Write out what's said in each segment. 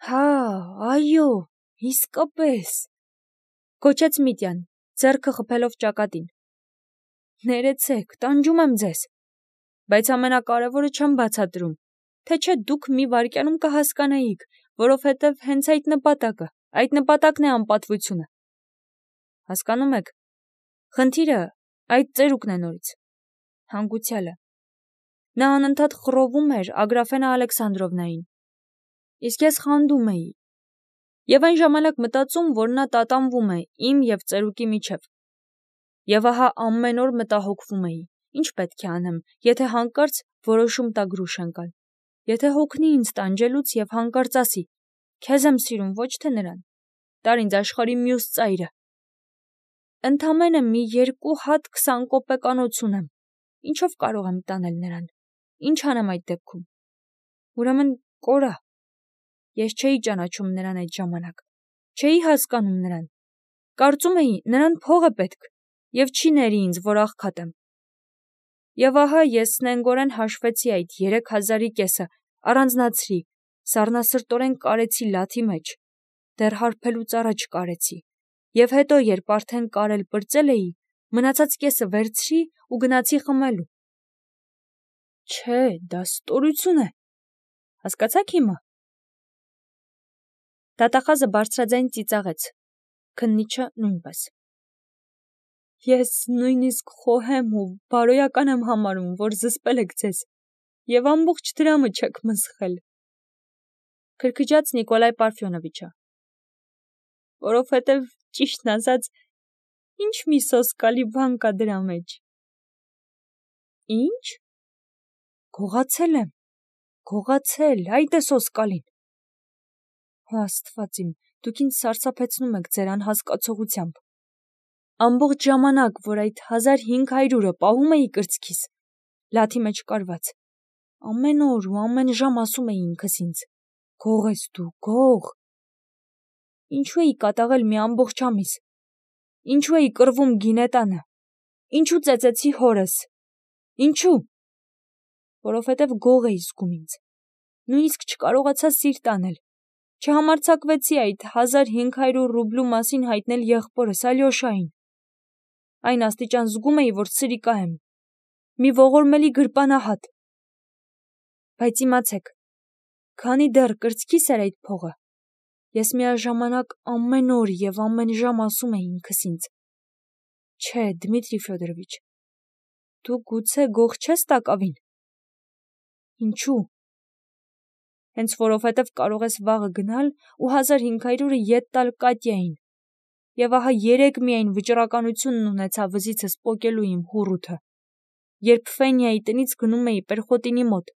Հա, այո, իսկապես, գոչեց Միտյան, ձեռքը խփելով ճակատին։ Ներեցեք, տանջում եմ ձեզ, բայց ամենակարևորը չեմ բացատրում, թե չէ դուք մի վայրկյանում կհասկանայիք, որովհետև հենց այդ նպատակն է անպատվությունը։ Հասկանում եք, խնդիրը այդ ծերուկն է նորից, հանգուցյալը։ Նա անընդհատ խռովում էր Ագրաֆենա Ալեքսանդրովնային, իսկ ես խանդում էի, և այն ժամանակ մտածում, որ նա տատանվում է իմ և ծերուկի միջև։ Եվ ահա ամեն օր մտահոգվում էի, ինչ պետք է անեմ, եթե հանկարծ որոշում տա գրուշ ընկալ, եթե հոգնի ինձ տանջելուց և հանկարծ ասի. «Քեզ եմ սիրում, ոչ թե նրան, տար ինձ աշխարհի մյուս ծայրը»։ Ընդամենը մի 2 հատ 20 կոպեկանոց ունեմ, ինչով կարող եմ տանել նրան, ինչ անեմ այդ դեպքում։ Ուրեմն կորա։ Ես չէի ճանաչում նրան այդ ժամանակ, չէի հասկանում նրան, կարծում էի նրան փող է պետք և չի ների ինձ, որ աղքատ եմ։ Եվ ահա ես նենգորեն հաշվեցի այդ 3000-ի կեսը, առանձնացրի, սառնասրտորեն կարեցի լաթի մեջ, դեռ հարբելուց առաջ կարեցի, և հետո, երբ արդեն կարել պրծել էի, մնացած կեսը վերցրի ու գնացի խմելու։ Չէ, դա ստորություն է, հասկացա՞ք հիմա։ Դատախազը բարձրաձայն ծիծաղեց, քննիչը նույնպես։ Ես նույնիսկ խոհեմ ու բարոյական եմ համարում, որ զսպել եք ձեզ, և ամբողջ դրամը չեք մսխել, քրքջաց Նիկոլայ Պարֆյոնովիչը, որովհետև, ճիշտն ասած, ինչ մի սոսկալի բան կա դրա մեջ։ Ինչ։ Գողացել եմ, այդ է սոսկալին։ Հո Աստված իմ, դուք ինձ սարսափեցնում եք ձեր անհասկացողությամբ։ Ամբողջ ժամանակ, որ այդ 1500-ը պահում էի կրծքիս, լաթի մեջ կարված, ամեն օր ու ամեն ժամ ասում էի ինքս ինձ. «Գող ես դու, գող»։ Ինչու էի կատաղել մի ամբողջ ամիս, ինչու էի կռվում գինետանը, ինչու ծեծեցի հորս, ինչու։ Որովհետև գող էի զգում ինձ, նույնիսկ չկարողացա սիրտ անել, չհամարձակվեցի այդ 1500 ռուբլու մասին հայտնել եղբորս Ալյոշային։ Այն աստիճան զգում էի, որ սրիկա եմ, մի ողորմելի գրպանահատ։ Բայց իմացեք, քանի դեռ կրծքիս էր այդ փողը, ես միաժամանակ ամեն օր և ամեն ժամ ասում էի ինքս ինձ. «Չէ, Դմիտրի Ֆյոդորովիչ, դու գուցե գող չես տակավին»։ Ինչու։ Հենց որովհետև կարող ես վաղը գնալ ու 1500-ը ետ տալ Կատյային, և ահա 3 միայն վճռականությունն ունեցա վզիցս պոկելու իմ հուռութը, երբ Ֆենյայի տնից գնում էի Պերխոտինի մոտ,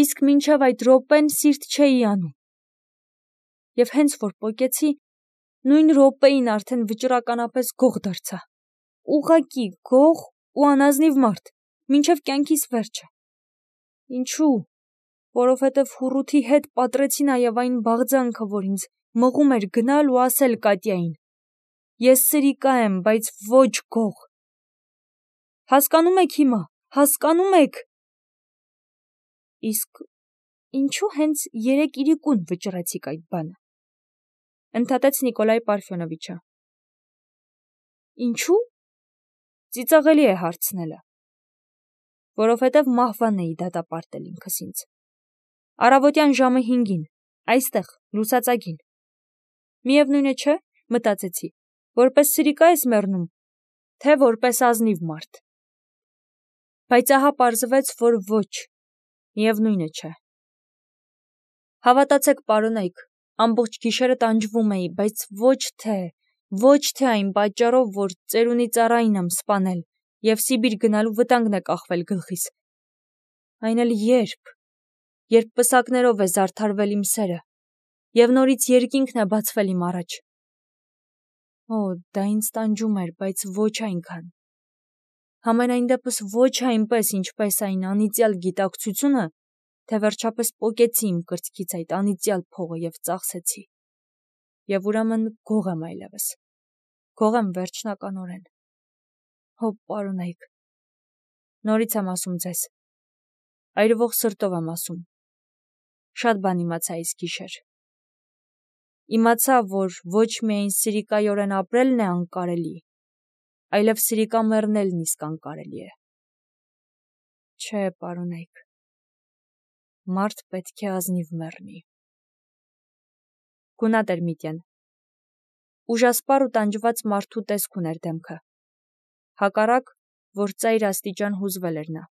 իսկ մինչև այդ րոպեն սիրտ չէի անում։ Եվ հենց որ պոկեցի, նույն րոպեին արդեն վճռականապես գող դարձա, ուղղակի գող ու անազնիվ մարդ, մինչև կյանքիս վերջը։ Ինչու։ Որովհետև հուռութի հետ պատռեցի նաև այն բաղձանքը, որ ինձ մղում էր գնալ ու ասել Կատյային. «Ես սրիկա եմ, բայց ոչ գող»։ Հասկանում եք հիմա, հասկանում եք։ Իսկ ինչու հենց 3 իրիկուն վճռեցիք այդ բանը, ընդհատեց Նիկոլայ Պարֆյոնովիչը։ Ինչու։ Ծիծաղելի է հարցնելը։ Որովհետև մահվան էի դատապարտել ինքս ինձ։ Առավոտյան ժամը 5-ին, այստեղ, լուսածագին։ Միևնույն է, չէ, մտածեցի, որպես սրիկա ես մեռնում, թե որպես ազնիվ մարդ։ Բայց ահա պարզվեց, որ ոչ, միևնույն է, չէ։ Հավատացեք, պարոնայք, ամբողջ գիշերը տանջվում էի, բայց ոչ թե այն պատճառով, որ ծերունի ծառային եմ սպանել և Սիբիր գնալու վտանգն է կախվել գլխիս, այն էլ երբ պսակներով է զարդարվել իմ սերը և նորից երկինքն է բացվել իմ առաջ։ Օ, դա ինձ տանջում էր, բայց ոչ այնքան։ Համենայն դեպս ոչ այնպես, ինչպես այն անիծյալ գիտակցությունը, թե վերջապես պոկեցի իմ կրծքից այդ անիծյալ փողը և ծախսեցի։ Եվ ուրեմն գող եմ այլևս, գող եմ վերջնականորեն։ Հո, պարոնայք, նորից եմ ասում ձեզ, այրվող սրտով եմ ասում, շատ բան իմացա այս գիշեր։ իմացա, որ ոչ միայն սիրիկայորեն ապրելն է անկարելի, այլև սիրիկա մեռնելն իսկ անկարելի է։ Չէ, պարոնայք, մարդ պետք է ազնիվ մեռնի։ Գունատ էր Միտյան։ Ուժասպառ ու տանջված մարդու տեսք ուներ դեմքը։ Հակառակ, որ ծայր աստիճան հուզվել էր նա։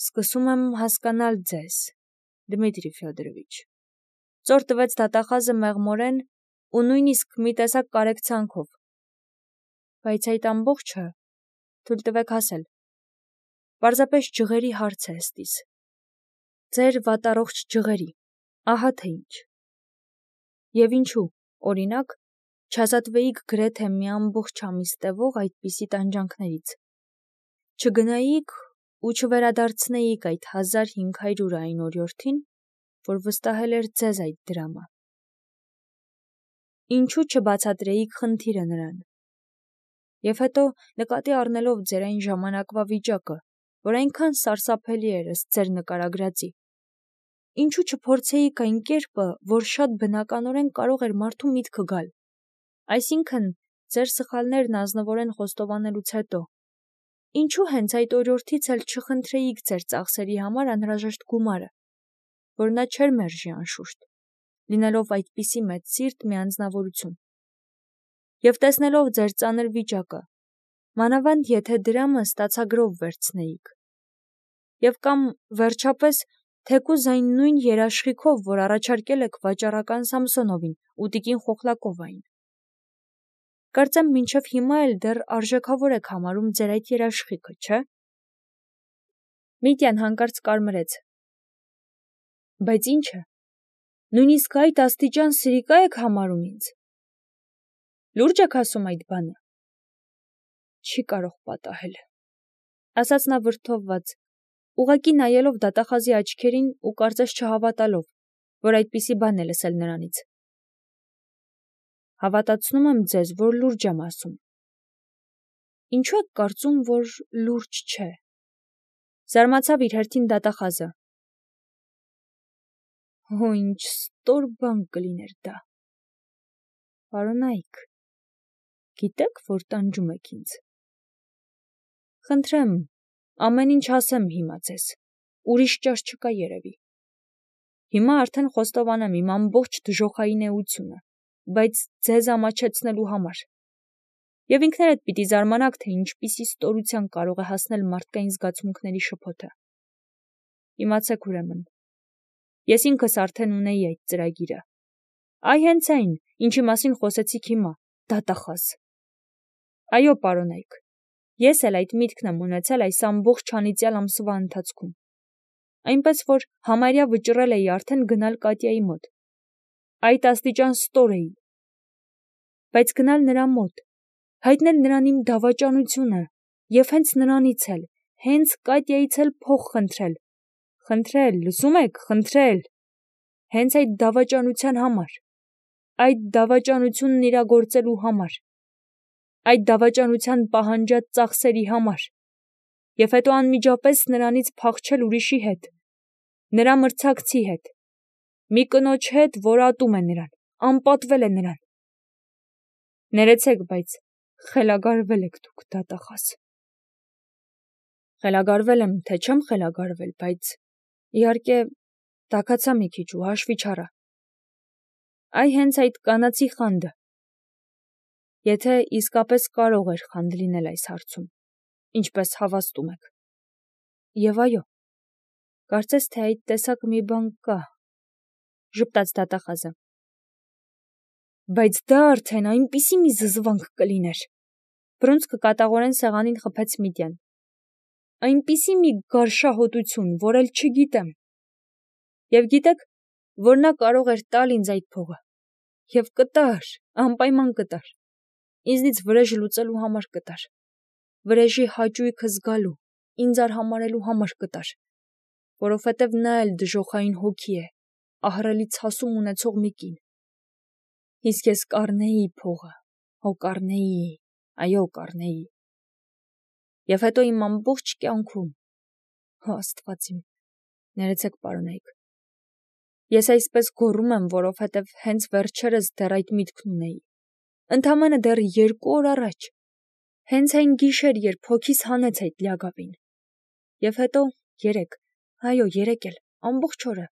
Սկսում եմ հասկանալ ձեզ, Դմիտրի Ֆյոդորովիչ։ Ծոր տվեց դատախազը մեղմորեն ու նույնիսկ մի տեսակ կարեկցանքով։ Բայց այդ ամբողջը, թույլ տվեք ասել, պարզապես ջղերի հարց է ըստիս։ Ձեր վատառողջ ջղերի, ահա թե ինչ։ Եվ ինչու, օրինակ, չազատվեիք գրեթե մի ամբողջ ամիս տևող այդպիսի տանջանքներից։ Չգնայիք ու չվերադարձնեիք այդ 1500 օրիորդին, որ վստահել էր ձեզ այդ դրամը։ Ինչու չբացատրեիք խնդիրը նրան։ Եվ հետո, նկատի առնելով ձեր այն ժամանակվա վիճակը, որ այնքան սարսափելի էր ըստ ձեր նկարագրածի, ինչու չփորձեիք այն կերպը, որ շատ բնականորեն կարող էր մարդու միտքը գալ, այսինքն ձեր սխալներն ազնվորեն խոստովանելուց հետո, ինչու հենց այդ օրիորդից էլ չխնդրեիք ձեր ծախսերի համար անհրաժեշտ գումարը, որ նա չէր մերժի անշուշտ, լինելով այդպիսի մեծ սիրտ մի անձնավորություն։ Եվ տեսնելով ձեր ծանր վիճակը, մանավանդ եթե դրամը ստացագրով վերցնեիք։ Եվ կամ վերջապես թեկուզ այն նույն երաշխիքով, որ առաջարկել եք վաճառական Սամսոնովին ու տիկին Խոխլակովային։ Կարծեմ մինչև հիմա էլ դեռ արժեքավոր եք համարում ձեր այդ երաշխիքը, չէ՞։ Միտյան հանկարծ կարմրեց։ Բայց ի՞նչը։ Նույնիսկ այդ աստիճան սիրիկա եք համարում ինձ։ Լուրջ եք ասում այդ բանը։ Չի կարող պատահել, ասաց նա վրդովված, ուղղակի նայելով դատախազի աչքերին ու կարծես չհավատալով, որ այդպիսի բան է լսել նրանից։ Հավատացնում եմ ձեզ, որ լուրջ եմ ասում։ Ինչու եք կարծում, որ լուրջ չէ։ Զարմացավ իր հերթին դատախազը։ Հո ինչ ստոր բան կլիներ դա։ Պարոնայք, գիտեք, որ տանջում եք ինձ։ Խնդրեմ, ամեն ինչ ասեմ հիմա ձեզ, ուրիշ ճաշ չկա երևի։ Հիմա արդեն խոստովանեմ իմ ամբողջ դժոխային էությունը, բայց ձեզ ամաչեցնելու համար։ Եվ ինքներդ պիտի զարմանաք, թե ինչպիսի ստորության կարող է հասնել մարդկային զգացմունքների շփոթը։ Իմացեք ուրեմն, ես ինքս արդեն ունեի այդ ծրագիրը։ Այ հենց այն, ինչի մասին խոսեցիք հիմա, դատախազ։ Այո, պարոնայք, ես էլ այդ միտքն եմ ունեցել այս ամբողջ անիծյալ ամսվա ընթացքում։ Այնպես որ համարյա վճռել էի արդեն գնալ Կատյայի մոտ։ Այդ աստիճան ստոր էի։ Բայց գնալ նրա մոտ, հայտնել նրան իմ դավաճանությունը և հենց նրանից էլ, հենց Կատյայից էլ փող խնդրել։ Խնդրել, լսում եք, խնդրել։ Հենց այդ դավաճանության համար։ Այդ դավաճանությունն իրագործելու համար։ Այդ դավաճանության պահանջած ծախսերի համար։ Եվ հետո անմիջապես նրանից փախչել ուրիշի հետ, նրա մրցակցի հետ, մի կնոջ հետ, որ ատում է նրան, անպատվել է նրան։ Ներեցեք, բայց խելագարվել եք դուք, դատախազ։ Խելագարվել եմ, թե չեմ խելագարվել, բայց իհարկե տաքացա մի քիչ ու հաշվի չառա։ Այ հենց այդ կանացի խանդը։ Եթե իսկապես կարող էր խանդ լինել այս հարցում, ինչպես հավաստում եք։ Եվ այո, կարծես թե այդ տեսակ մի բան կա, ժպտաց դատախազը։ Բայց դա արդեն այնպիսի մի զզվանք կլիներ։ Բռունցքը կատաղորեն սեղանին խփեց Միտյան։ Այնպիսի մի գարշահոտություն, որ էլ չգիտեմ։ Եվ գիտեք, որ նա կարող էր տալ ինձ այդ փողը։ Եվ կտար, անպայման կտար։ Ինձնից վրեժ լուծելու համար կտար։ Վրեժի հաճույքը զգալու, ինձ արհամարելու համար կտար։ Որովհետև նա էլ դժոխային հոգի է, ահռելի ցասում ունեցող մի կին։ Իսկ ես կառնեի փողը, հո կառնեի, այո, կառնեի։ Եվ հետո իմ ամբողջ կյանքում, հո Աստված իմ, ներեցեք պարոնայք, Ես այսպես գոռում եմ, որովհետև հենց վերջերս դեռ այդ միտքն ունեի։ Ընդամենը դեռ 2 օր առաջ։ Հենց այն գիշեր, երբ հոգիս հանեց այդ լիագավին։ Եվ հետո 3, այո, 3 էլ, ամբողջ օրը։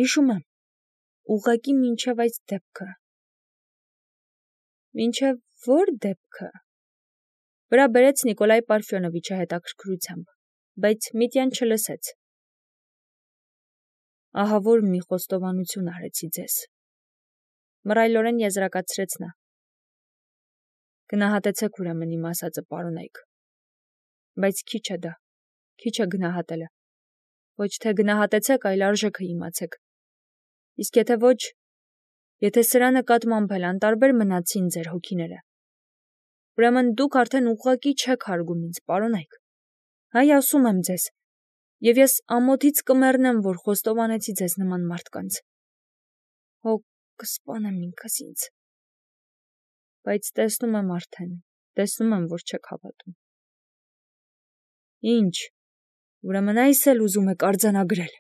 Հիշում եմ, ուղղակի մինչև այս դեպքը։ Մինչև որ դեպքը։ Վրա բերեց Նիկոլայ Պարֆյոնովիչը հետաքրքրությամբ, բայց Միտյան չլսեց։ Ահա որ մի խոստովանություն արեցի ձեզ։ Մռայլորեն եզրակացրեց նա։ Գնահատեցեք ուրեմն իմ ասածը, պարոնայք։ Բայց քիչ է դա, քիչ է գնահատելը։ Ոչ թե գնահատեցեք, այլ արժեքը իմացեք։ Իսկ եթե ոչ, եթե սրա նկատմամբ էլ անտարբեր մնացին ձեր հոգիները, ուրեմն դուք արդեն ուղղակի չեք հարգում ինձ, պարոնայք։ Հայ ասում եմ ձեզ, եւ ես ամոթից կմեռնեմ, որ խոստովանեցի ձեզ նման մարդկանց։ Հո կսպանեմ ինքս ինձ։ Բայց տեսնում եմ արդեն, տեսնում եմ, որ չեք հավատում։ Ինչ, ուրեմն այս էլ ուզում եք արձանագրել։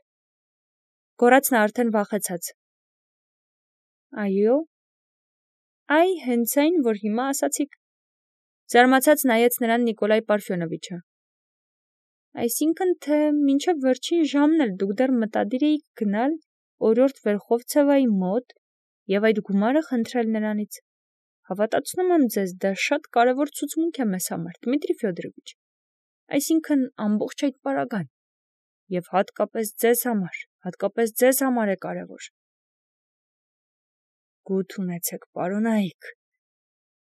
Գոռաց նա արդեն վախեցած։ Այո, այ հենց այն, որ հիմա ասացիք։ Զարմացած նայեց նրան Նիկոլայ Պարֆյոնովիչը։ Այսինքն, թե մինչև վերջին ժամն էլ դուք դեռ մտադիր էիք գնալ օրորդ Վերխովցևայի մոտ եւ այդ գումարը խնդրել նրանից։ Հավատացնում եմ ձեզ, դա շատ կարևոր ցուցմունք է մեզ համար, Դմիտրի Ֆյոդորովիչ։ Այսինքն ամբողջ այդ պարագան եւ հատկապես ձեզ համար է կարևոր։ Գութ ունեցեք, պարոնայք։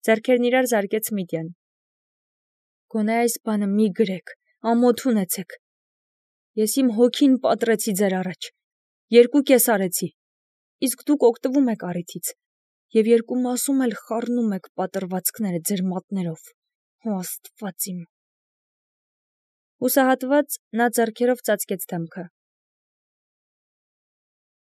Ձեռքերն իրար զարկեց Միտյան։ Գոնե այս բանը մի գրեք, ամոթ ունեցեք։ Ես իմ հոգին պատրեցի ձեր առաջ, 2 կես արեցի, իսկ դուք օգտվում եք առիթից, եւ 2 մասում էլ խառնում եք պատրվածքները ձեր մատներով, հո Աստված իմ։ Հուսահատված նա ձեռքերով ծածկեց դեմքը։